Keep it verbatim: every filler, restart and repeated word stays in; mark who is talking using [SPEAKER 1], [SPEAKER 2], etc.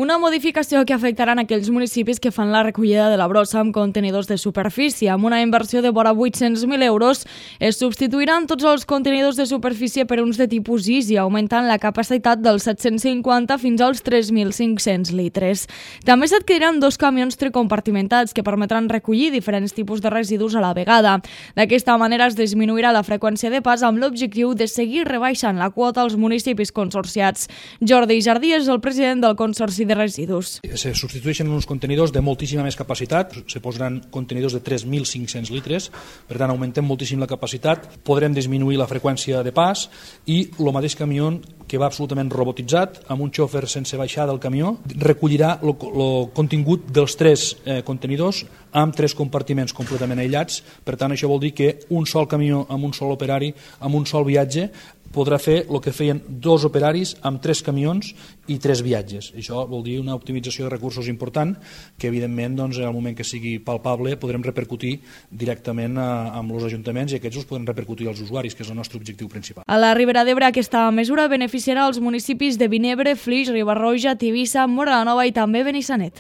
[SPEAKER 1] Una modificació que afectarà en aquells municipis que fan la recollida de la brossa amb contenidors de superfície. Amb una inversió de vora vuit-cents mil euros es substituiran tots els contenidors de superfície per uns de tipus Easy, augmentant la capacitat dels set-cents cinquanta fins als tres mil cinc-cents litres. També s'adquiriran dos camions tricompartimentats que permetran recollir diferents tipus de residus a la vegada. D'aquesta manera es disminuirà la freqüència de pas amb l'objectiu de seguir rebaixant la quota als municipis consorciats. Jordi Jardí és el president del Consorci de Residus.
[SPEAKER 2] Se substitueixen uns contenidors de moltíssima més capacitat, se posaran contenidors de tres mil cinc-cents litres, per tant augmentem moltíssim la capacitat, podrem disminuir la freqüència de pas i el mateix camió que va absolutament robotitzat, amb un xòfer sense baixar del camió, recollirà el contingut dels tres eh, contenidors amb tres compartiments completament aïllats. Per tant, això vol dir que un sol camió amb un sol operari, amb un sol viatge, podrà fer el que feien dos operaris amb tres camions i tres viatges. Això vol dir una optimització de recursos important que, evidentment, doncs, en el moment que sigui palpable, podrem repercutir directament a, amb els ajuntaments i aquests els podrem repercutir als usuaris, que és el nostre objectiu principal.
[SPEAKER 1] A la Ribera d'Ebre, aquesta mesura beneficiarà els municipis de Vinebre, Flix, Riba-roja, Tivissa, Móra la Nova i també Benissanet.